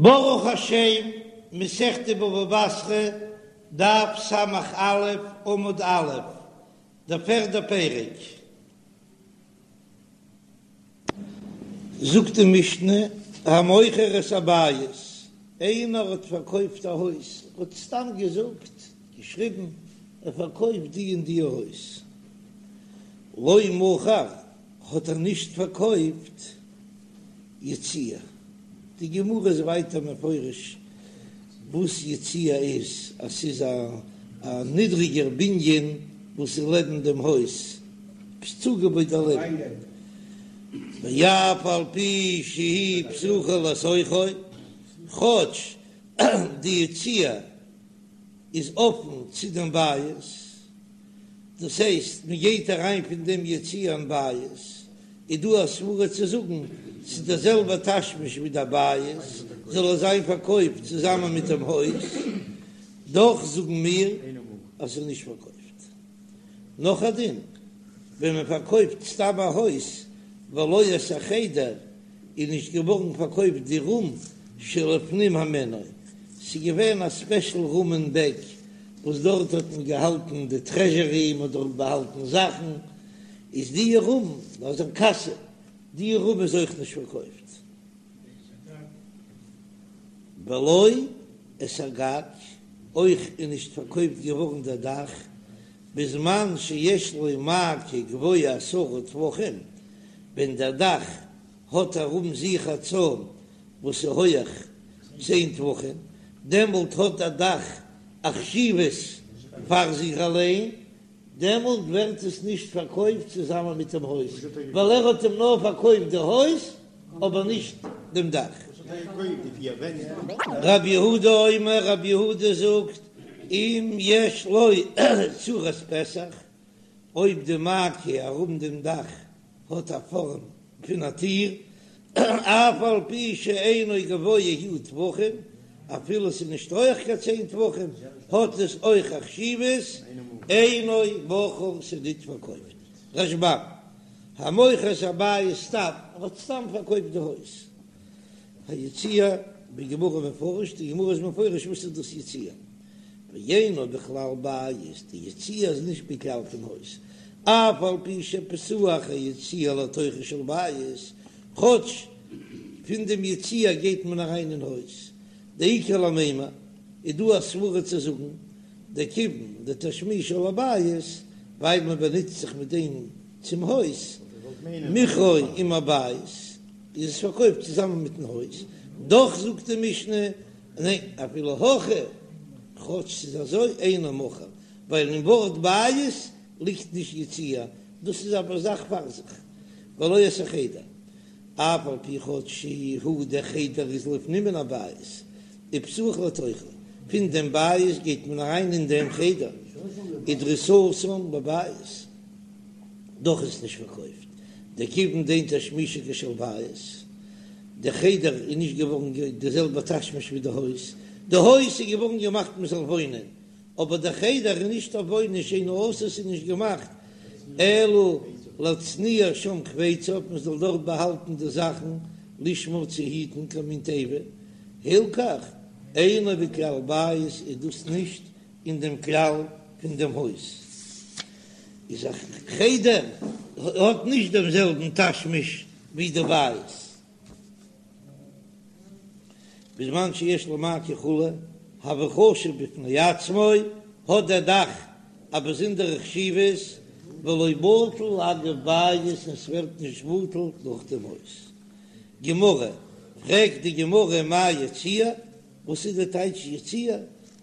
ברוך השם, מסכת בבא בתרא, דף ס"א, עמוד א', דער פערדער פרק. זאגט די משנה, המוכר את הבית, איינער האט פארקויפט א הויז, ער האט סתם געזאגט, געשריבן, ער פארקויפט די און די הויז, לא מכר, האט ער נישט פארקויפט יציע. די גמרא איז ווייטער מפרש וואס יציע איז, אז ס'איז א נידריגער בנין וואס איז לעבן דעם הויז, עפעס צוגעבויט דערלעבן, ואף על פי שהיא פתוחה לתוכו, כאטש די יציע איז אפן צו דעם בית, דאס הייסט מען גייט אריין פון דעם יציע אין בית, איז דא א סברה צו זאגן ס'איז דער זעלבער תשמיש ווי דער בית, זאל עס זיין פארקויפט צוזאמען מיט דעם הויז, דאך זאגן מיר אז ס'איז נישט פארקויפט. נאך א דין, ווען מען פארקויפט סתם א הויז ולא את החדר, איז נישט געווארן פארקויפט די רום שלפנים הימנו, ס'איז געווען א ספעשל רום אין בעק וואס דארט האט מען געהאלטן די טרעזשערי, מען האט דארט באהאלטן זאכן, איז די רום, אזא קאסע, די רום איז אויך נישט פארקויפט. ולא את הגג, אויך איז נישט פארקויפט געווארן דער דאך, בזמן שיש לו מעקה גבוה עשרה טפחים, ווען דער דאך האט ארום זיך א צוים וואס איז הויעך צען טפחים, דעמאלט האט דער דאך א חשיבות פאר זיך אליין, דעמאלט ווערט עס נישט פארקויפט צוזאמען מיט דעם הויז, ווייל ער האט אים נאר פארקויפט די הויז אבער נישט דעם דאך. רב יהודה אומר, רב יהודה זאגט, אם יש לו צורת פתח, אויב די מעקה ארום דעם דאך האט א פארעם פון א טיר, אף על פי שאינו גבוה הוא טפחים, אפילו ס'איז נישט הויך קיין צען טפחים, האט עס אויך א חשיבות, אינו מכור ס'איז ניט פארקויפט. רשב"ם, המוכר את הבית סתם, ער האט סתם פארקויפט די הויז. היציע, בגמרא מפרש, די גמרא איז מפרש וואס איז דאס יציע. ואינו בכלל בית, די יציע איז נישט בכלל פון הויז, אף על פי שפתוח היציע לתוכו של בית, כאטש פון דעם יציע גייט מען אריין אין הויז, דאיכא למימר, איז דא א סברה צו זאגן, דכיון דתשמישו לבית, ווייל מען באנוצט זיך מיט דעם צום הויז, מכרו עם הבית, איז עס פארקויפט צוזאמען מיטן הויז, דאך זאגט די משנה, ניין, אפילו הכי, כאטש ס'איז אזוי, אינו מכור, ווייל אין ווארט בית ליגט נישט יציע, דאס איז א זאך פאר זיך, ולא את החדר, אף על פי כאטש שהוא דער חדר איז לפנים מן הבית, ופתוח לתוכו, פון דעם בית גייט מען אריין אין דעם חדר, ודריסתן בבית. דאך איז נישט פארקויפט, דכיון דאין תשמישו כשל בית, די חדר איז נישט געווארן די זעלבע תשמיש ווי די הויז, די הויז איז געווארן געמאכט מען זאל וואוינען, אבער די חדר איז נישט אויף וואוינען שאינו עשוי ס'איז נישט געמאכט אלא להצניע שם חפציו מען זאל דארט באהאלטן די זאכן לשמור צו היטן כמין תיבה, הלכך אינו בכלל בית איז דאס נישט אין דעם כלל פון דעם הויז איז א חדר האט נישט דעם זעלבן תשמיש ווי די בית, בזמן שיש לו מעקה וכו' הוי חשוב בפני עצמו, האט דער דאך א באזונדערע חשיבות, ולא בטל אגב בית און ס'ווערט נישט בטל נאך דעם הויז. גמרא, פרעגט די גמרא מאי יציע? וואס איז די טייטש יציע?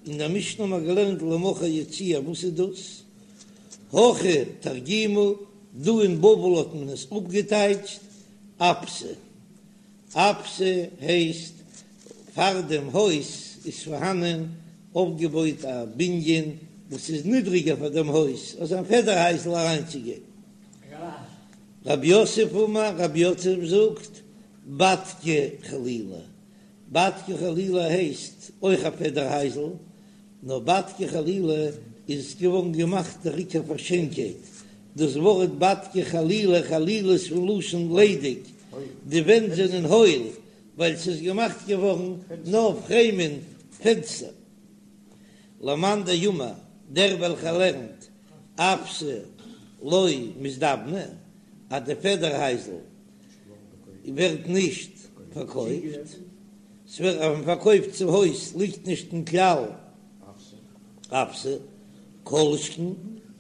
אין דער משנה האבן מיר געלערנט לא מכר יציע, וואס איז דאס? הכא תרגימו, דא אין בבל האט מען עס אפגעטייטשט אפתא. אפתא הייסט פאר דעם הויז איז פארהאנען אויפגעבויט א בנין וואס איז נידריגער פאר דעם הויז, אזא פעדער הייזל אריינצוגיין. רב יוסף אמר, רב יוסף זאגט, בדקא חלילא, בדקא חלילא הייסט אויך א פעדער הייזל, נאר בדקא חלילא איז געווארן געמאכט דער עיקר פאר שיינקייט, דאס ווארט בדקא חלילא, חלילה איז פון לשון ליידיג, די ווענט זענען הויל. ווייל ס'איז געמאכט געווארן נאר פרעימען פענסטער. למאן דאמר, דער וועלכער לערנט אפתא לא מזדבנא, אז די פעדער הייזל ווערט נישט פארקויפט, ס'ווערט אז מ'פארקויפט צום הויז ליגט נישט אין כלל אפתא, כל שכן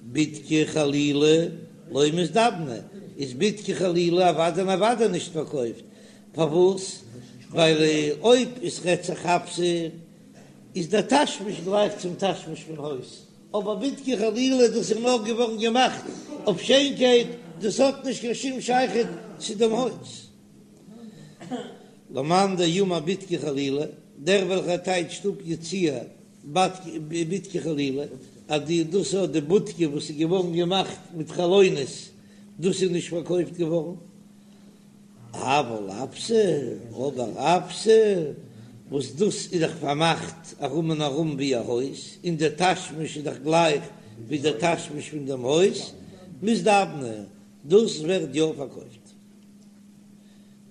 בדקי חלילי לא מזדבנא, איז בדקי חלילי אוודאי און אוודאי נישט פארקויפט, פארוואס? ווייל אויב עס רעדט זיך אפתא איז דער תשמיש גלייך צום תשמיש פון הויז, אבער בדקי חלילי דאס איז נאר געווארן געמאכט אויף שיינקייט, דאס האט נישט קיין שום שייכות צו דעם הויז. למאן דאמר בדקי חלילי, דער וועלכער טייטשט אפ יציע בדקי חלילי, אז די דאס האט די בודקע וואס איז געווארן געמאכט מיט חלונות, דאס איז נישט פארקויפט געווארן. אבל אפתא, אבער אפתא, וואס דאס איז דאך פארמאכט ארום און ארום ווי א הויז, און דער תשמיש איז דאך גלייך ווי דער תשמיש פון דעם הויז, מזדבנא, דאס ווערט יא פארקויפט.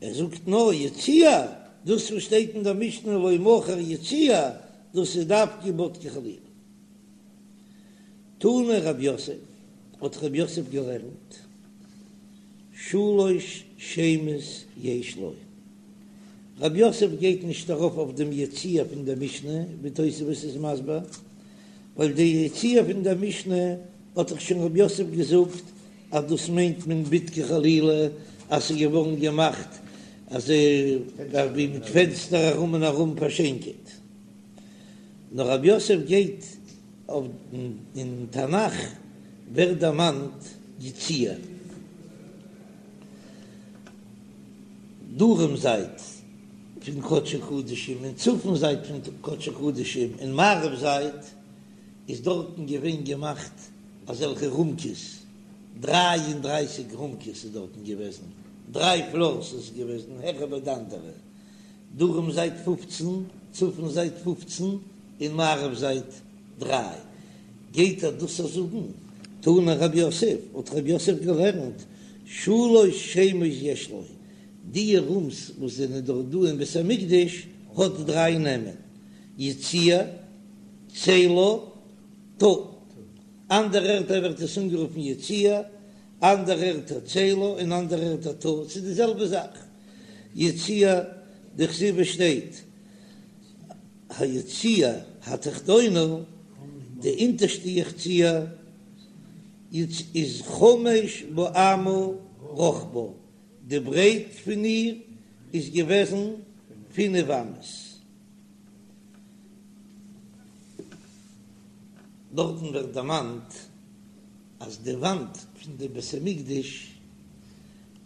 ער זאגט נאר יציע, דאס וואס שטייט אין דער משנה לא מכר יציע, דאס איז דווקא בדקי חלילי. תני רב יוסף, האט רב יוסף געלערנט, שלש שמות יש לו. רב יוסף גייט נישט ארויף אויף דעם יציע פון דער משנה, ווי תוספות איז מסביר, ווייל די יציע פון דער משנה האט דאך שוין רב יוסף געזאגט אז דאס מיינט מען בדקי חלילי אז ס'איז געווארן געמאכט אזוי ווי מיט פענסטער ארום און ארום פאר שיינקייט. נאר רב יוסף גייט אויף אין תנך ווערט דערמאנט יציע דרום זייט פון קדשי קדשים און צפון זייט פון קדשי קדשים און מערב זייט איז דארטן געווען געמאכט אזעלכע רומקעס, 33 רומקעס איז דארטן געוועזן, דריי פלארס איז געוועזן העכער ביי די אנדערע, דרום זייט 15, צפון זייט 15, און מערב זייט דריי. גייט ער דאס זאגן? תני רב יוסף, האט רב יוסף געלערנט, שלש שמות יש לו, די רומס וואס זענען דארט דא אין בית המקדש האט דריי נעמען, יציע, צלה, תא. אנדערע ערטער ווערט עס אנגערופן יציע, אנדערע ערטער צלה און אנדערע ערטער תא, ס'איז די זעלבע זאך. יציע, דכתיב שטייט היציע התחתונה, די אונטערשטע יציע איז חמש באמה רחבה, די ברייט פון איר איז געוועזן פינף אמות. דארטן ווערט דערמאנט אז די וואנט פון די בית המקדש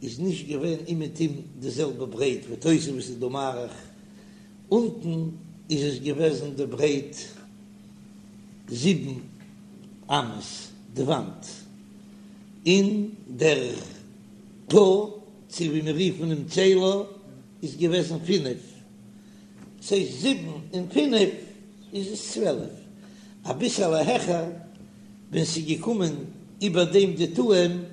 איז נישט געווען אומעטום די זעלבע ברייט ווי תוספות איז דא מאריך, אונטן איז עס געוועזן די ברייט זיבן אמות די וואנט, און דער תא צו ווי מיר רופן אים צלה איז געוועזן פינף, ס'הייסט זיבן און פינף איז עס צוועלף, אביסעלע העכער ווען ס'איז געקומען איבער דעם די תאים,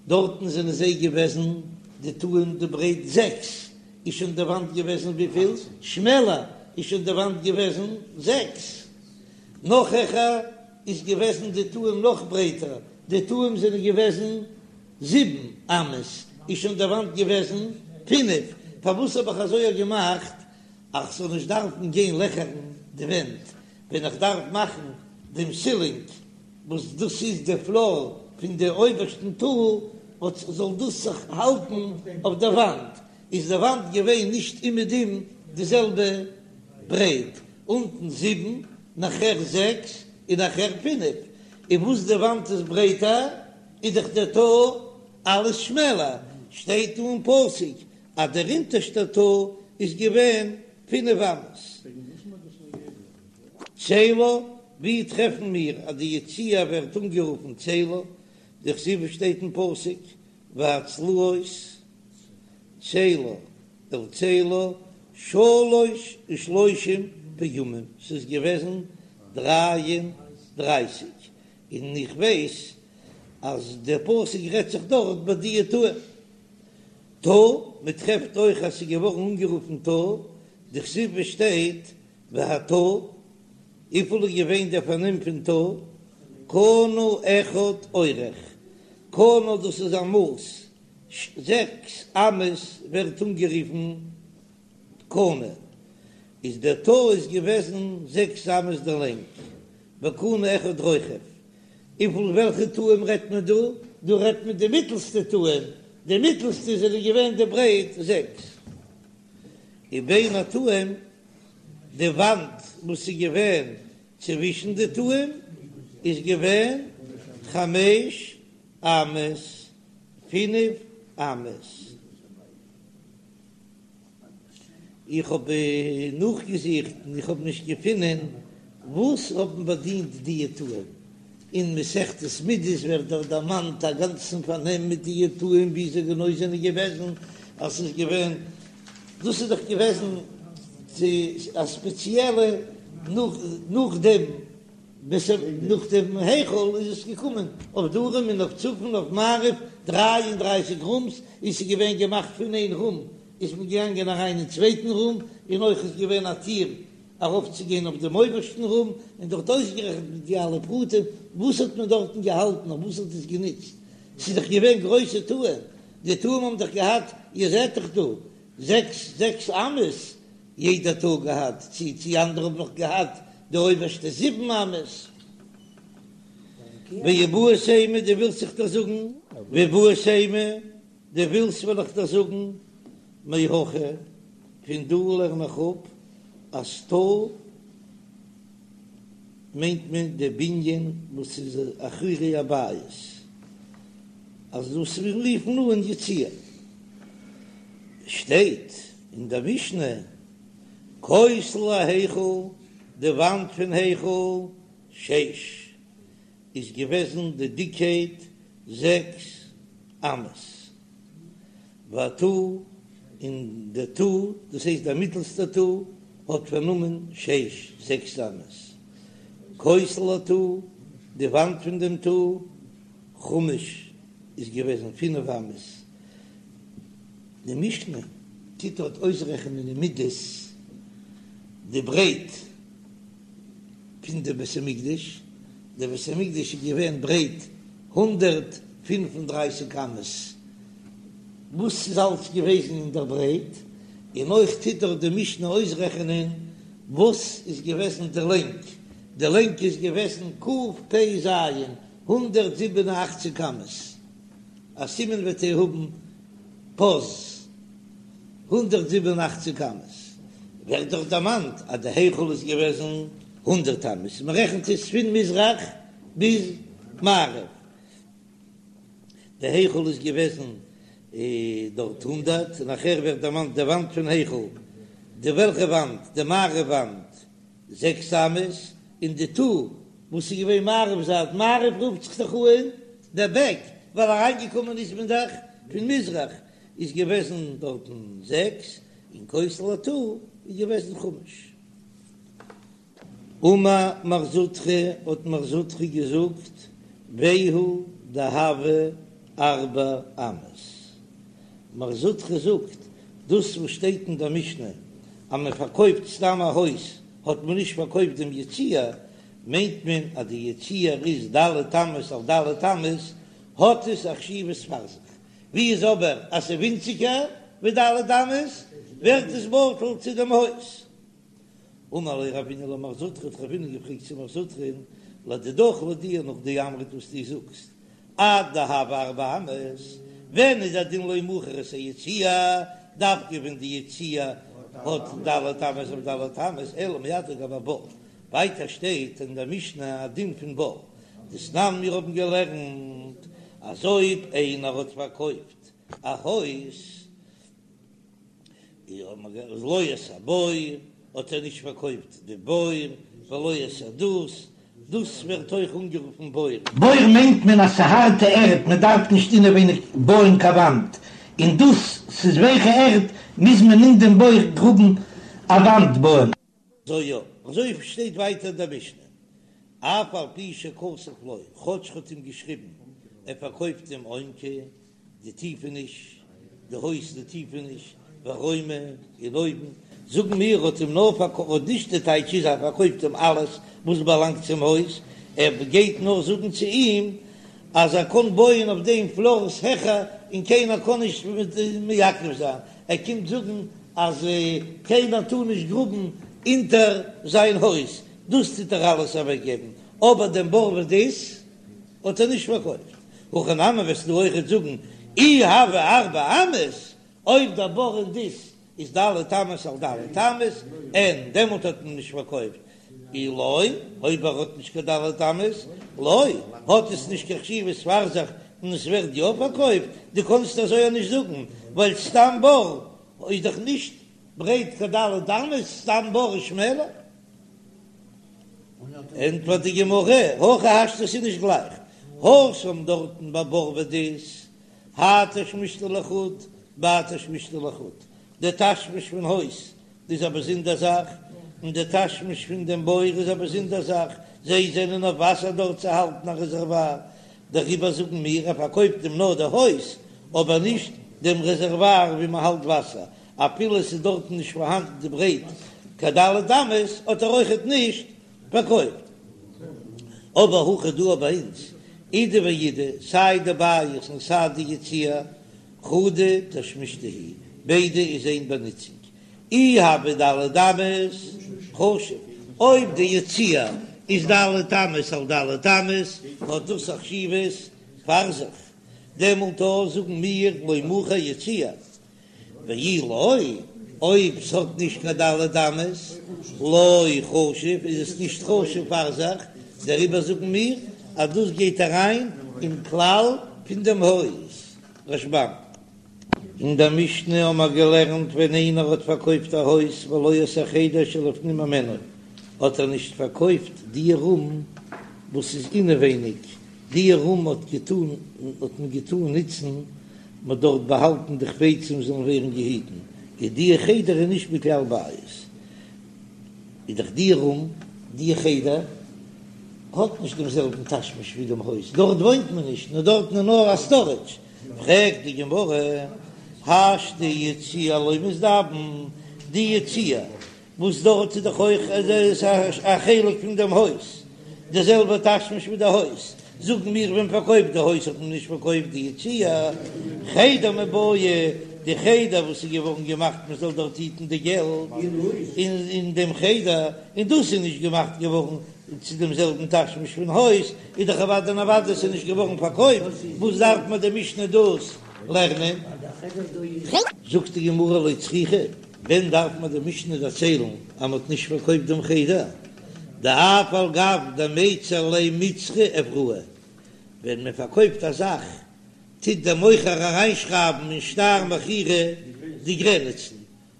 דארטן זענען זיי געוועזן די תאים די ברייט זעקס, איז שוין די וואנט געוועזן וויפיל שמעלער איז שוין די וואנט געוועזן זעקס, נאך העכער איז געוועזן די תאים נאך ברייטער, די תאים זענען געוועזן זיבן אמות, איז שוין די וואנט געוועזן פינף, פארוואס האב איך אזוי געמאכט אז כ'זאל נישט דארפן גיין לעכערן די ווענט ווען איך דארף מאכן דעם סילינג וואס דאס איז די פלאר פון די אויבערשטן תא, וואס זאל דאס זיך האלטן אויף די וואנט, איז די וואנט געווען נישט אומעטום די זעלבע ברייט, אונטן זיבן, נאכער זעקס, און נאכער פינף, און וואס די וואנט איז ברייטער איז דאך דער תא אלעס שמעלער, שטייט דא אין פסוק אז דער אונטערשטער תא איז געווען פינף אמות. צלה, ווי טרעפן מיר אז די יציע ווערט אנגערופן צלה? דכתיב שטייט אין פסוק והצלעות צלה אל צלה שלש ושלושים פעמים, ס'איז געוועזן דריי און דרייסיג, און איך ווייס אז דער פסוק רעדט זיך דארט ביי די תאים. תא, מען טרעפט אויך אז ס'איז געווארן אנגערופן תא, דכתיב וואס שטייט והתא, וויפיל איז געווען דער פארנעם פון תא? קנה אחד אורך, קנה דאס איז א מאס, זעקס אמות ווערט אנגערופן קנה, איז דער תא איז געוועזן זעקס אמות די לענג, וקנה אחד רוחב, און פון וועלכע תאים רעדט מען דא? דא רעדט מען די מיטלסטע תאים, די מיטלסטע זענען געווען די ברייט זעקס, ובין התאים, די וואנט וואס איז געווען צווישן די תאים איז געווען חמש אמות, פינף אמות. איך האב נאכגעזוכט און איך האב נישט געפונען וואס האבן באדינט דיע תאים. אין מסכת מידות ווערט דארט דערמאנט א גאנצן פארנעם מיט דיע תאים ווי זיי גענוי זענען געוועזן, אז ס'איז געווען, דאס איז דאך געוועזן צו א ספעציעלע נאך נאכדעם נאך דעם היכל איז עס געקומען אויף דרום און אויף צפון אויף מערב 33 רומס און ס'איז געווען געמאכט פון איין רום איז מען געגאנגען אריין אין צווייטן רום און אויך איז געווען א טיר ארויפצוגיין אויף דעם אויבערשטן רום און דארט אויסגערעכנט מיט די אלע פרטים וואס האט מען דארטן געהאלטן אויף וואס האט עס גענוצט ס'איז דאך געווען גרויסע תאים די תאים האבן דאך געהאט איר זעט דאך דא זעקס זעקס אמות יעדע תא געהאט, צי צי אנדערע האבן נאך געהאט די אויבערשטע זיבן אמות. ואיבעית אימא דו ווילסט זיך דאך זאגן, ואיבעית אימא דו ווילסט וועל איך דיר זאגן, מהכא, פון דא לערן איך אפ אז תא מיינט מען די בנין וואס איז אחורי הבית, אז דאס מיר רופן אן יציע שטייט. אין דער משנה, כותל ההיכל, די וואנט פון היכל, שש, איז געוועזן די דיקייט זעקס אמות, והתא, און די תא, דאס הייסט דער מיטלסטער תא, האט פארנומען שש, זעקס אמות, כותל התא, די וואנט פון דעם תא, חמש, איז געוועזן פינף אמות. די משנה טוט דארט אויסרעכענען אין מידות די ברייט פון די בית המקדש, די בית המקדש איז געווען ברייט 135 אמות, וואס איז אלץ געוועזן אין דער ברייט, און אויך טוט דארט די משנה אויסרעכענען וואס איז געוועזן די לענג, די לענג איז געוועזן קפ"ז, 187 אמות. א סימן וועט איר האבן פז 187 אמות, ווערט דאך דערמאנט אז די היכל איז געוועזן הונדערט אמות, מען רעכנט עס פון מזרח ביז מערב, די היכל איז געוועזן דארט הונדערט, נאכער ווערט דערמאנט די וואנט פון היכל, די וועלכע וואנט? די מערב וואנט זעקס אמות, און די תא וואס איז געווען מערב זייט, מערב רופט זיך דאך אן דער בעק, ווייל אריינגעקומען איז מען דאך פון מזרח, איז געוועזן דארטן זעקס, און כותל התא איז געוועזן חמש. אמר מר זוטרא, האט מר זוטרא געזאגט, והוא דהוה ארבע אמות. מר זוטרא זאגט, דאס וואס שטייט אין דער משנה אז מען פארקויפט סתם א הויז האט מען נישט פארקויפט דעם יציע, מיינט מען אז די יציע איז ד' אמות על ד' אמות, האט עס א חשיבות פאר זיך. ווי איז אבער אז ס'איז ווינציגער ווי ד' אמות, ווערט עס בטל צו דעם הויז. אמר ליה רבינא למר זוטרא, האט רבינא געפרעגט צו מר זוטרא'ן, לדידך לויט דיר נאך דאמרת וואס דו זאגסט עד דהוה ארבע אמות, ווען איז א דין לא מכר את היציע, דווקא ווען די יציע האט ד' אמות אויף ד' אמות, אלא מעתה גבי בור, ווייטער שטייט אין דער משנה א דין פון בור, דתנן מיר האבן געלערנט אז אויב איינער האט פארקויפט א הויז, לא את הבור האט ער נישט פארקויפט די בור, ולא את הדות, דות ווערט אויך אנגערופן בור. בור מיינט מען אז ס'הארטע ערד, מען דארף נישט אינעווייניג בויען קיין וואנט, און דות ס'איז ווייכע ערד מוז מען אין דעם בור גראבן א וואנט בויען. אזוי יא, אזוי שטייט ווייטער אין דער משנה, אף על פי שכתב לו, כאטש ער האט אים געשריבן, ער פארקויפט אים עומקא, די טיפעניש. די הויז די טיפעניש, ורומא און אויבן, זאגן מיר האט אים נאר פארקויפט, נישט די טייטש איז אז ער פארקויפט אים אלעס וואס באלאנגט צום הויז, ער גייט נאר זאגן צו אים אז ער קען בויען אויף דעם פלארס העכער און קיינער קען נישט מעכב זיין, ער קומט זאגן אז קיינער טאר נישט גראבן אונטער זיין הויז, דאס טוט ער אלעס אוועקגעבן, אבער דעם בור ודות האט ער נישט פארקויפט. הכא נמי וועסטו אויכעט זאגן אי הוה ארבע אמות, אויב דער בור און דות איז ד' אמות על ד' אמות, אין דעמאלט האט מען נישט פארקויפט, אי לא, אויב ער האט נישט קיין ד' אמות, לא, האט עס נישט קיין חשיבות פאר זיך און עס ווערט יא פארקויפט, דו קאנסט אזוי אויך נישט זאגן, ווייל סתם בור איז דאך נישט ברייט קיין ד' אמות, סתם בור איז שמעלער. ענטפערט די גמרא, הכי השתא ס'איז נישט גלייך, התם דארטן ביי בור ודות, האי תשמישתא לחוד, בהאי תשמישתא לחוד, די תשמיש פון הויז איז א באזונדער זאך, און די תשמיש פון דעם בור איז א באזונדער זאך, זיי זענען אויף וואסער דארט צו האלטן א רעזערוואר, דעריבער זאגן מיר, ער פארקויפט אים נאר די הויז, אבער נישט דעם רעזערוואר ווי מען האלט וואסער, אפילו עס איז דארטן נישט פארהאנדן די ברייט קיין ד' אמות, האט ער אויכעט נישט פארקויפט. אבער הכא דא ביי אונז, אידי ואידי, סיי די בית און סיי די יציע, חדא תשמישתא היא, ביידע איז איין באנוצונג. אי הוה ד' אמות, חשיב, אויב די יציע איז ד' אמות על ד' אמות, האט דאס א חשיבות פאר זיך, דעמאלט אויך זאגן מיר לא מכר יציע, ואי לא, אויב ס'האט נישט קיין ד' אמות, לא חשיב, איז עס נישט חשוב פאר זיך, דעריבער זאגן מיר אז דאס גייט אריין אין כלל פון דעם הויז. רשב"ם. אין דער משנה האבן מיר געלערנט ווען איינער האט פארקויפט א הויז ולא את החדר שלפנים ממנו, האט ער נישט פארקויפט די רום וואס איז אינעווייניג, די רום האט געטאן האט מען געטאן נוצן מ'האט דארט באהאלטן די חפצים זאלן ווערן געהיטן, איז די חדר איז נישט בכלל בית, איז דאך די רום, די חדר, האט נישט דעם זעלבן תשמיש ווי דעם הויז, דארט וואוינט מען נישט, נאר דארטן איז נאר א סטארעדזש, פרעגט די גמרא, השתא יציע לא מזדבן, די יציע וואס דארט איז דאך אויך א חלק פון דעם הויז, די זעלבע תשמיש ווי די הויז, זאגן מיר ווען מ'פארקויפט די הויז האט מען נישט פארקויפט די יציע, חדר מיבעיא, די חדר וואס איז געווארן געמאכט מען זאל דארט היטן די געלט אין דעם חדר, און דאס איז נישט געמאכט געווארן צו דעם זעלבן תשמיש פון הויז, איז דאך אוודאי און אוודאי ס'איז נישט געווארן פארקויפט, וואס דארף מען די משנה דאס לערנען? זאגט די גמרא לא צריכא. ווען דארף מען די משנה דערציילן אז מ'האט נישט פארקויפט דעם חדר? דאף על גב דמיצר ליה מצרא אבראי, ווען מען פארקויפט א זאך טוט דער מוכר אריינשרייבן אין שטר מכירה די גרעניצן,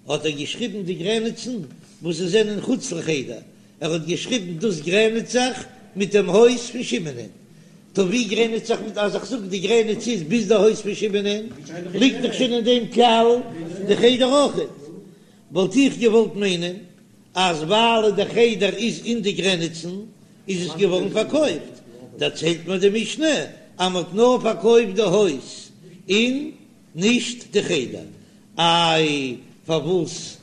האט ער געשריבן די גרעניצן וואס זיי זענען חוץ לחדר, ער האט געשריבן דאס גרעניצט זיך מיט דעם הויז פון שמעונ'ען. טא ווי גרעניצט זיך מיט אז איך זאג די גרעניץ איז ביז די הויז פון שמעונ'ען, ליגט דאך שוין אין דעם כלל די חדר אויכעט. וואלט איך געוואלט מיינען אז ווייל די חדר איז אין די גרעניצן איז עס געווארן פארקויפט. דערציילט מיר די משנה אז מ'האט נאר פארקויפט די הויז און נישט די חדר. איי פארוואס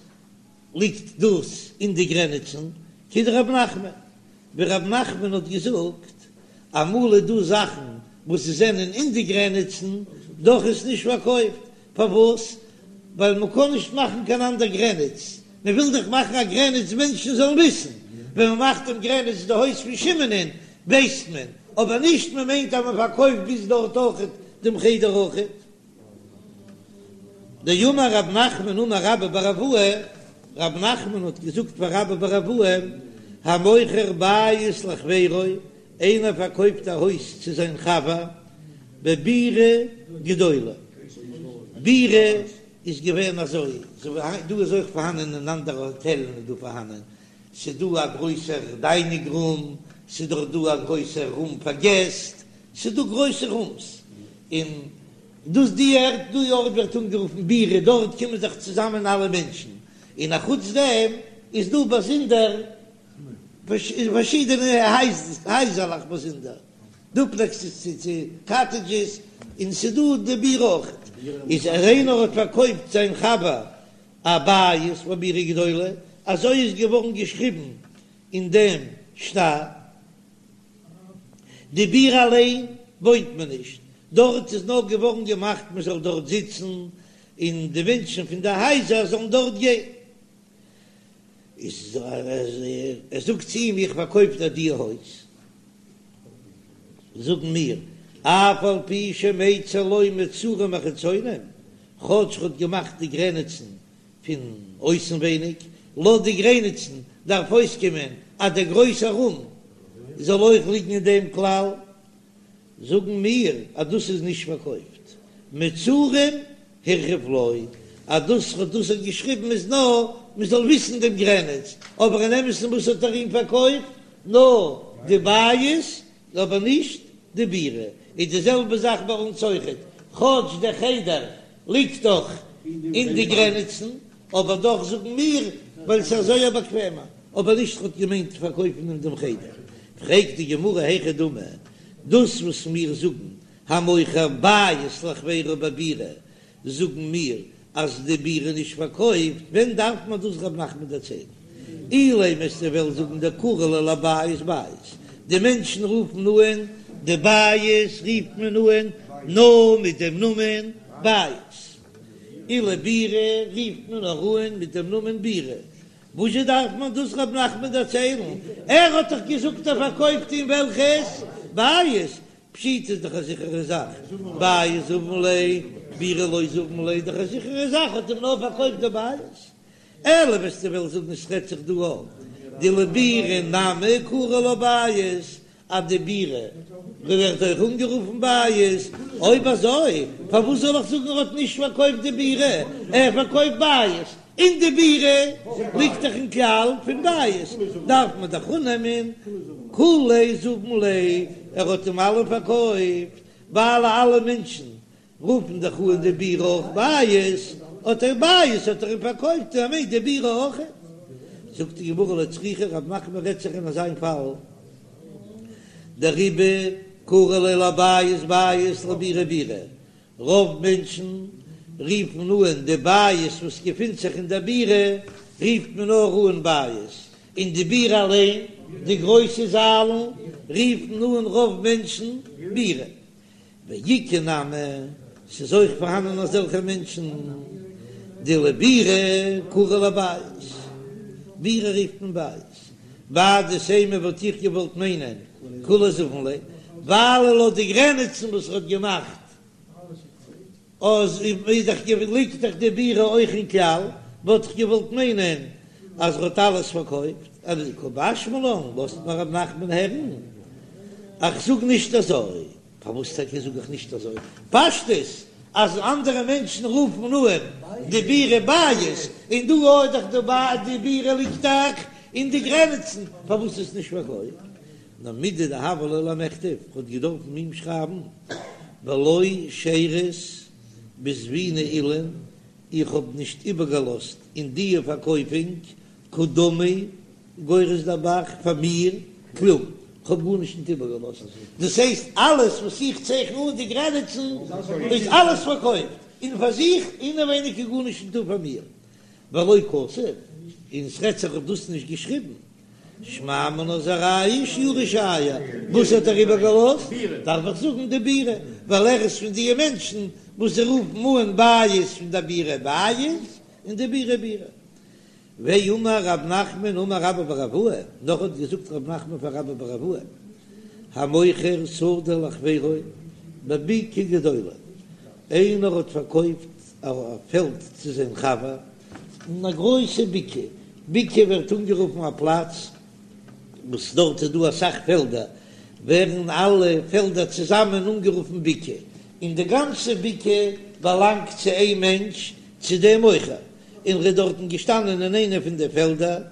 ליגט דאס אין די גרעניצן, כדרב נחמן, ווי רב נחמן האט געזאגט, אמאל איז דא זאכן וואס זענען אין די גרעניצן, דאך איז נישט פארקויפט, פארוואס? ווייל מען קען נישט מאכן קיין אנדער גרעניץ, מען וויל דאך מאכן א גרעניץ מענטשן זאלן וויסן, ווען מען מאכט דעם גרעניץ די הויז פון שמעונ'ען ווייסט מען, אבער נישט מען מיינט אז מען פארקויפט ביז דארט אויכעט דעם חדר אויכעט. דאמר רב נחמן אמר רבה בר אבוה, רב נחמן האט געזאגט פאר רבה בר אבוה, המוכר בית לחבירו, איינער פארקויפט א הויז צו זיין חבר, בבירה גדולה, בירה איז געווען אזוי, דא איז אויך פארהאנען אין אנדערע האטעלן איז דא פארהאנען, ס'איז דא א גרויסער דיינינג רום, ס'איז דאך דא א גרויסער רום פאר געסט, ס'איז דא גרויסע רומס, און דאס די ערד די ארט ווערט אנגערופן בירה, דארט קומען זיך צוזאמען אלע מענטשן, און אחוץ דעם איז דא באזונדער פארשידענע הייזערלעך באזונדער, דופלעקסעס צו קאטעדזשעס, און ס'איז דא די בירה אויכעט. איז אז איינער האט פארקויפט זיין חבר א בית בבירה גדולה, אזוי איז געווארן געשריבן אין דעם שטר. די בירה אליין וואוינט מען נישט, דארט איז נאר געווארן געמאכט מען זאל דארט זיצן און די מענטשן פון די הייזער זאלן דארט גיין. איז ער זאגט צו אים איך פארקויף דיר די הויז, זאגן מיר אף על פי שמיצר לו מצרים החיצונים, כאטש ר'האט געמאכט די גרעניצן פון אויסנווייניג, לויט די גרעניצן דארף אויסקומען אז דער גרויסער רום זאל אויך ליגן אין דעם כלל, זאגן מיר אז דאס איז נישט פארקויפט, מצרים הרחיב לו, אז דאס וואס דאס האט געשריבן איז נאר מען זאל וויסן דעם גרעניץ, אבער אין אמת'ן וואס האט ער אים פארקויפט? נאר די בית אבער נישט די בירה, איז די זעלבע זאך ביי אונז אויכעט, כאטש דער חדר ליגט דאך אין די גרעניצן, אבער דאך זאגן מיר ווייל ס'איז אזוי א באקוועמער, אבער נישט האט געמיינט פארקויפן אים דעם חדר. פרעגט די גמרא היכי דמי, דאס וואס מיר זאגן המוכר בית לחבירו בבירה, זאגן מיר אז די בירה איז נישט פארקויפט, ווען דארף מען דאס רב נחמן דערציילן? אילימא וועסטו וועלן זאגן דקרי ליה לבית בית, די מענטשן רופן אן די בית רופט מען אן נאר מיט דעם נאמען בית, ולבירה רופט מען נאר אן מיט דעם נאמען בירה, וואזשע דארף מען דאס רב נחמן דערציילן? ער האט דאך געזאגט ער פארקויפט אים וועלכעס בית, פשיטא איז דאך א זיכערע זאך, בית זבין ליה, בירה לא זבין ליה, דאך א זיכערע זאך האט אים נאר פארקויפט די בית. אלא וועסטו וועלן זאגן עס רעדט זיך דא אויף דלבירה נמי קרי לה בית, אז די בירה ווערט אויך אנגערופן בית, אויב אזוי פארוואס זאל איך זאגן ער האט נישט פארקויפט די בירה, ער פארקויפט בית, און די בירה ליגט דאך אין כלל פון בית, דארף מען דאך אננעמען כוליה זבין ליה, ער האט אים אלע פארקויפט, ווייל אלע מענטשן רופן דאך אן די בירה אויך בית, האט ער בית האט ער אים פארקויפט און ער מיינט די בירה אויך. זאגט די גמרא לא צריכא, רב נחמן רעדט זיך אין אזיין פאל, דרובא קרי ליה לבית בית לבירה בירה, רוב מענטשן רופן אן די בית וואס געפינט זיך אין די בירה רופט מען נאר אן בית, און די בירה אליין, די גרויסע זאלן, רופן אן רוב מענטשן בירה. ואיכא נמי, ס'איז אויך פארהאנען אזעלכע מענטשן, דלבירה קרי לה בית, בירה רופט מען בית, מהו דתימא וואלט איך געוואלט מיינען כוליה זבין ליה, ווייל לויט די גרעניצן וואס ער האט געמאכט אז איז דאך ליגט דאך די בירה אויך אין כלל, וואלט איך געוואלט מיינען אז ער האט אלעס פארקויפט, אבער קא משמע לן לאזט מיר רב נחמן הערן איך זאג נישט אזוי. פארוואס טאקע זאג איך נישט אזוי? פשטות אז אנדערע מענטשן רופן אן די בירה בית, און דא אויך דאך די ביי די בירה ליגט דאך אין די גרעניצן, פארוואס איז נישט פארקויפט? נאר מידי דהוה ליה למכתב, האט געדארפן אים שרייבן ולא שארית בזבינא אילין, איך האב נישט איבערגעלאזט אין דיע פארקויפונג קדמי גורס דער ב"ח פאר מיר כלום, כ'האב גארנישט ניט איבערגעלאזט, דאס הייסט אלעס וואס איך צייכן אן די גרעניצן איז אלעס פארקויפט, און פאר זיך אינעווייניג איז גארנישט ניטא פאר מיר, ולא כתב, און ס'רעדט זיך האט דאס נישט געשריבן, שמע מינה איז א ראיה שיורי שייר, וואס האט ער איבערגעלאזט? דארף איך זאגן די בירה, ווייל ער איז פון די מענטשן וואס זיי רופן אן בית פון די בירה בית, און די בירה בירה. ואמר רב נחמן אמר רבה בר אבוה, נאך האט געזאגט רב נחמן פאר רבה בר אבוה, המוכר שדה לחבירו בבקעה גדולה, איינער האט פארקויפט א פעלד צו זיין חבר אין א גרויסע בקעה, בקעה ווערט אנגערופן א פלאץ וואס דארט איז דא אסאך פעלדער, ווערן אלע פעלדער צוזאמען אנגערופן בקעה, און די גאנצע בקעה באלאנגט צו איין מענטש, צו דעם מוכר, און ער איז דארטן געשטאנען אין איינע פון די פעלדער,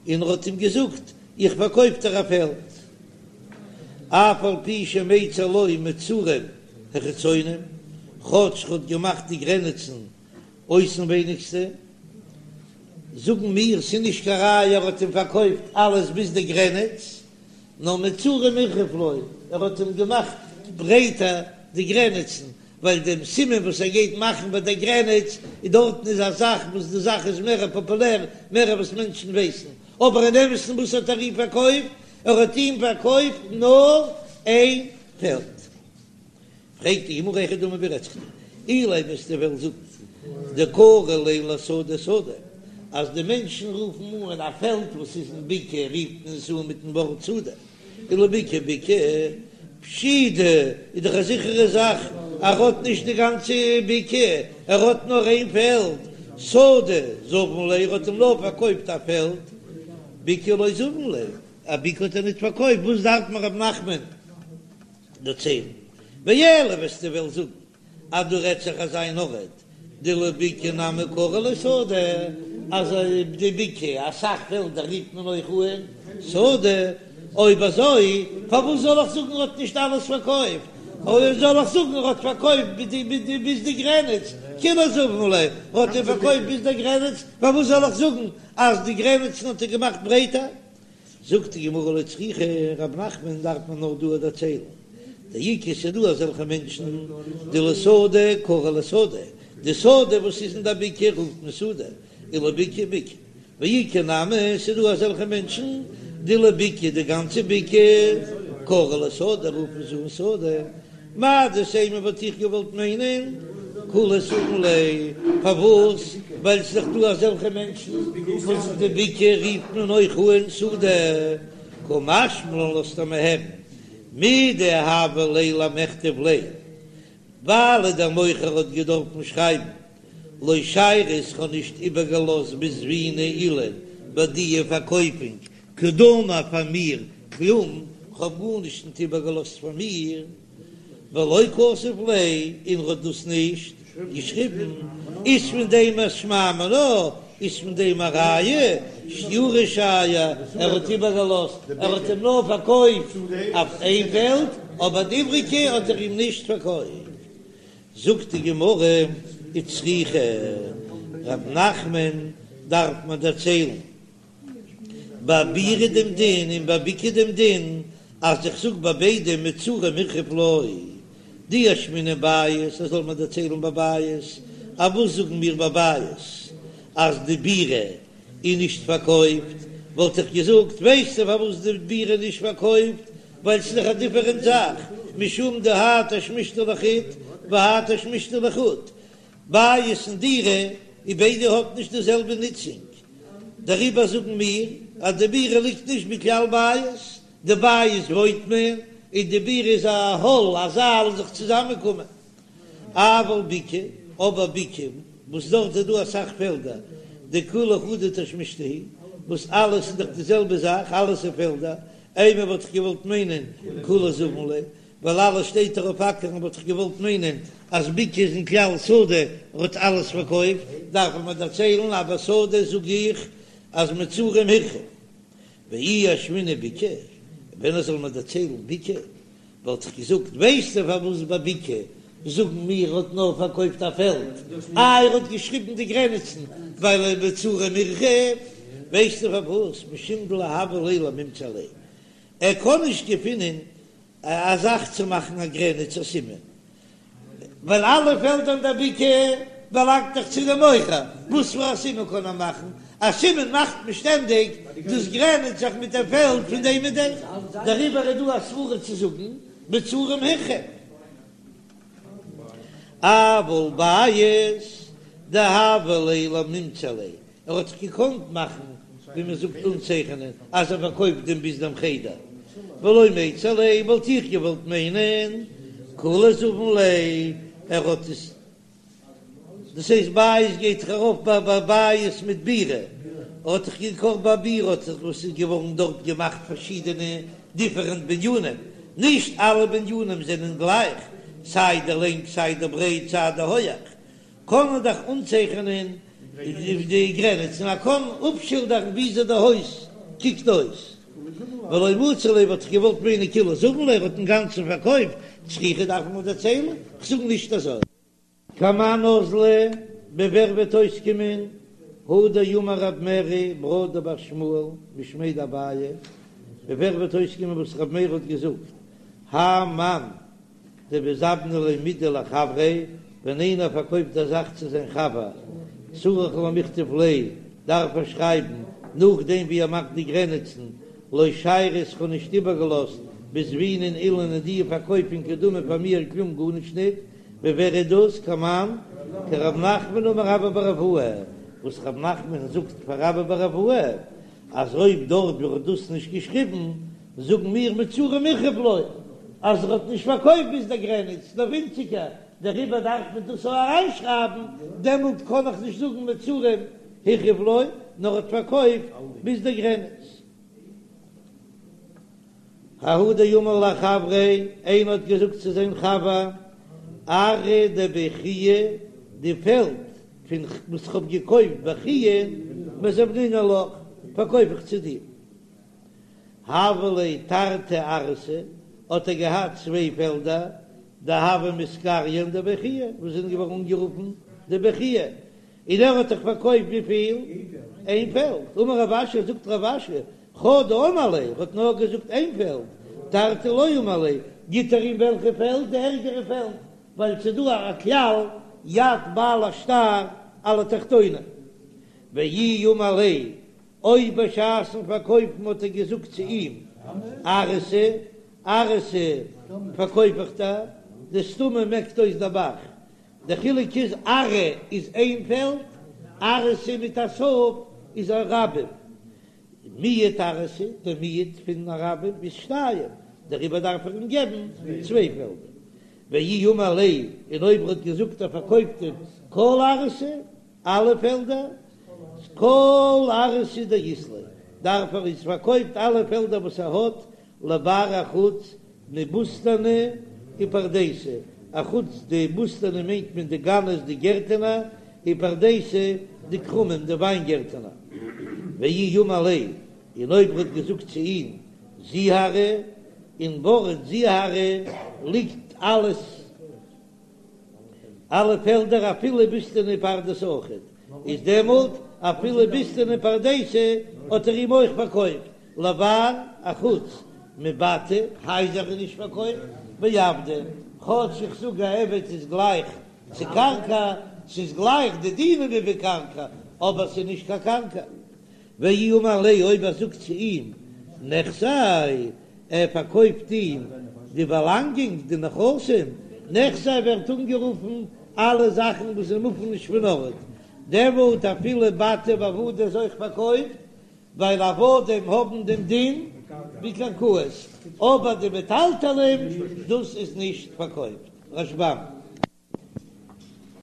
און ער האט אים געזאגט, איך פארקויף דיר א פעלד, אף על פי שמיצר לו מצרים החיצונים, כאטש ער האט געמאכט די גרעניצן אויסנווייניגסטע, זאגן מיר, ס'איז נישט קיין ראיה ער האט אים פארקויפט אלעס ביז די גרעניץ, נאר מצרים הרחיב לו, ער האט אים געמאכט ברייטער די גרעניצן. ווייל דעם סימן וואס ער גייט מאכן ביי דער גרעניץ איז דארטן איז א זאך וואס די זאך איז מער פאפולער, מער וואס מענטשן ווייסן, אבער אין אמת'ן וואס האט ער אים פארקויפט? ער האט אים פארקויפט נאר איין פעלד. פרעגט די גמרא היכי דמי ווי רעדט זיך דא? אילימא וועסטו וועלן זאגן דקרי ליה לשדה שדה, אז די מענטשן רופן אן א פעלד וואס איז אין בקעה רופט מען עס אן מיטן ווארט שדה, ולבקעה בקעה, פשיטא איז דאך א זיכערע זאך ער האט נישט די גאנצע בקעה, ער האט נאר איין פעלד, שדה זבין ליה ער האט אים נאר פארקויפט א פעלד, בקעה לא זבין ליה, א בקעה האט ער ניט פארקויפט, וואס דארף מען רב נחמן דערציילן? ואלא וועסטו וועלן זאגן אז דא רעדט זיך אזא אן ארט דלבקעה נמי קרי לה שדה, אז די בקעה אסאך פעלדער רופט מען אויך אן שדה, אויב אזוי פארוואס זאל איך זאגן ער האט נישט אלעס פארקויפט, אויב זאל איך זאגן ער האט פארקויפט ביז די גרעניץ, כולה זבין ליה, ער האט אים פארקויפט ביז די גרעניץ, פארוואס זאל איך זאגן אז די גרעניצן האט ער געמאכט ברייטער? זאגט די גמרא לא צריכא, רב נחמן דארף מען נאר דא דערציילן, דאיכא ס'דא אזעלכע מענטשן דלשדה קרי לה שדה, די שדה וואס איז אין די בקעה רופט מען שדה, ולבקעה בקעה, ואיכא נמי ס'דא אזעלכע מענטשן דלבקעה די גאנצע בקעה קרי לה שדה רופן זיי אן שדה, מהו דתימא וואלט איך געוואלט מיינען כולה זבין ליה, פארוואס? ווייל ס'איז דאך דא אזעלכע מענטשן וואס די בקעה רופט מען אויך אן שדה, קא משמע לן לאזט ער מיר הערן מדהוה ליה למכתב ליה, ווייל דער מוכר האט געדארפן שרייבן לא שיירית כ'האב נישט איבערגעלאזט בזביני אילין ביי דיע פארקויפונג קדמי פאר מיר כלום, כ'האב גארנישט ניט איבערגעלאזט פאר מיר, ולא כתב ליה, און ר'האט דאס נישט געשריבן, איז פון דעם א שמע מינה, איז פון דעם א ראיה, שיורא שייר, ער האט איבערגעלאזט, ער האט אים נאר פארקויפט אויף איין פעלד, אבער די איבריגע האט ער אים נישט פארקויפט. זאגט די גמרא, וצריכא, רב נחמן דארף מען דערציילן ביי בירה דעם דין און ביי בקעה דעם דין, אז איך זאג ביי ביידע מצרים הרחיב לא, דאי אשמעינן בית, אז זאל מען דערציילן ביי בית, א וואס זאגן מיר ביי בית אז די בירה איז נישט פארקויפט, וואלט איך געזאגט ווייסטו פארוואס די בירה איז נישט פארקויפט, ווייל ס'איז דאך א דיפערענט זאך, משום דהאי תשמישתא לחוד והאי תשמישתא לחוד, בית און דירה און ביידע האט נישט די זעלבע נוצונג, דעריבער זאגן מיר אז די בירה ליגט נישט בכלל בית, די בית וואוינט מען און די בירה איז א האל א זאל זיך צוזאמען קומען. אבל בקעה, אבער בקעה וואס דארט איז דא אסאך פעלדער, דכולה חדא תשמישתא היא, וואס אלעס איז דאך די זעלבע זאך, אלעס איז פעלדער, אימא וואלט איך געוואלט מיינען כולה זבין ליה, ווייל אלעס שטייט דאך אויף אקערן וואלט איך געוואלט מיינען אז בקעה איז אין כלל שדה ער האט אלעס פארקויפט, דארף מען דערציילן אז ביי שדה זאג איך אז מצרים הרחיב ואי אשמעינן בקעה, ווען עס זאל מען דערציילן בקעה וואלט איך געזאגט ווייסטו פארוואס ביי בקעה זאגן מיר ער האט נאר פארקויפט א פעלד, איי ער האט געשריבן די גרעניצן ווייל מצרים הרחיב, ווייסטו פארוואס משום דלא הוה ליה למימצא ליה ער קען נישט געפינען א זאך צו מאכן א גרעניץ א סימן, ווייל אלע פעלדער אין דער בקעה באלאנגט דאך צו דעם מוכר, וואס פאר א סימן קען ער מאכן? א סימן מאכט מען שטענדיג דאס גרעניצט זיך מיט דעם פעלד פון דעם און דעם, דעריבער איז דא א סברא צו זאגן מצרים הרחיב. אבל בית דהוה ליה למימצא ליה, ער האט זיך געקאנט מאכן ווי מען זאגט אנצייכענען אז ער פארקויפט דעם ביז דעם חדר, ולא מצי ליה וואלט איך געוואלט מיינען כולה זבין ליה, ער האט עס, דאס הייסט בית גייט זיך ארויף ביי ביי בית מיט בירה, ער האט זיך געקאכט ביי בירה האט זיך וואס איז געווארן דארט געמאכט פארשידענע דיפערענט בנינים, נישט אלע בנינים זענען גלייך, סיי די לענג סיי די ברייט סיי די הויעך, קען מען דאך אנצייכענען די גרעניצן, מען קען אפשילדערן וויאזוי די הויז קוקט אויס. ולא מצי ליה וואלט איך געוואלט מיינען כולה זבין ליה ער האט אינגאנצן פארקויפט, צריכא דארף מען דערציילן, כ'זאג נישט אזוי. כמאן אזלא, ווי ווער וועט אויסקומען, הא דאמר רב מרי ברא דבר שמואל משמיה דאביי, ווי ווער וועט אויסקומען וואס רב מרי האט געזאגט, האי מאן. דמזבנא ליה מידי לחבריה, ווען איינער פארקויפט א זאך צו זיין חבר, צריך למיכתב ליה, דארף ער שרייבן, נאכדעם ווי ער מאכט די גרעניצן, לא שיירית כ'האב נישט איבערגעלאזט בזבינין אילין אין די פארקויפונג קדמי פאר מיר כלום גארנישט ניט, ווי ווער איז דאס? כמאן כרב נחמן אמר רבה בר אבוה, וואס רב נחמן זאגט פאר רבה בר אבוה אז אויב דארט ווי ער האט דאס נישט געשריבן זאגן מיר מצרים החריב לו אז ער האט נישט פארקויפט ביז דער גרעניץ נאר ווינציגער, דעריבער דארף מען דאס אויך אריינשרייבן, דעמאלט קען איך נישט זאגן מצרים החריב לו נאר ער האט פארקויפט ביז דער גרעניץ. ההוא דאמר לחבריה, איינער האט געזאגט צו זיין חבר, ארעא דבי חייא, די פעלד פון וואס איך האב געקויפט ביי חייא, מזבנינא לך, פארקויף איך צו דיר. הוו ליה תרתי ארעתא, האט ער געהאט צוויי פעלדער, דהוו מתקריין דבי חייא, וואס זענען געווארן אנגערופן דבי חייא, און ער האט דאך פארקויפט וויפיל? איין פעלד. אמר רב אשי, זאגט רב אשי, חדא אמר ליה, ער האט נאר געזאגט איין פעלד, תרתי לא אמר ליה, גיט ער אים וועלכע פעלד? די ערגערע פעלד, ווייל ס'איז דא א כלל יד בעל השטר על התחתונה. ואי אמר ליה, אויב בשעת'ן פארקויפן האט ער געזאגט צו אים, ארעתא, ארעתא פארקויף איך דיר, דסתמא מעקט אויס דער ב"ח, די חילוק איז ארעא איז איין פעלד, ארעתא מיט א ת' איז א רבים. מיעוט ארעתא, די מיעוט פון א רבים איז שתיים, דעריבער דארף ער אים געבן צוויי פעלדער. ואי אמר ליה, און אויב ער האט געזאגט ער פארקויפט אים כל ארעתא, אלע פעלדער, כל ארעתא דאית ליה, דארף ער איז פארקויפט אלע פעלדער וואס ער האט, לבר אחוץ מבוסתנא ופרדיסא, אחוץ די בוסתנא מיינט מען די גנות די גערטענער, ופרדיסא די כרמים די וויינגערטענער. ואי אמר ליה, און אויב ער האט געזאגט צו אים זוהרי, אין ווארט זוהרי ליגט אלעס אלע פעלדער אפילו בוסתנא ופרדסא אויכעט, איז דעמאלט אפילו בוסתנא ופרדסא האט ער אים אויך פארקויפט, לבר אחוץ מבתי, הייזער איז נישט פארקויפט, ועבדי, כאטש איך זאג א עבד איז גלייך צו קרקע, ס'איז גלייך די דינים ווי ביי קרקע, אבער ס'איז נישט קיין קרקע. ואי אמר ליה אויב ער זאגט צו אים נכסי, ער פארקויפט אים די באלאנגונג, די נכסים, נכסי ווערט אנגערופן אלע זאכן וואס זיי מופן נישט פון ארט, דעמאלט אפילו בתי ועבדי איז אויך פארקויפט, ווייל עבדים האבן דעם דין ווי קרקעות, אבער די מטלטלים דאס איז נישט פארקויפט. רשב"ם.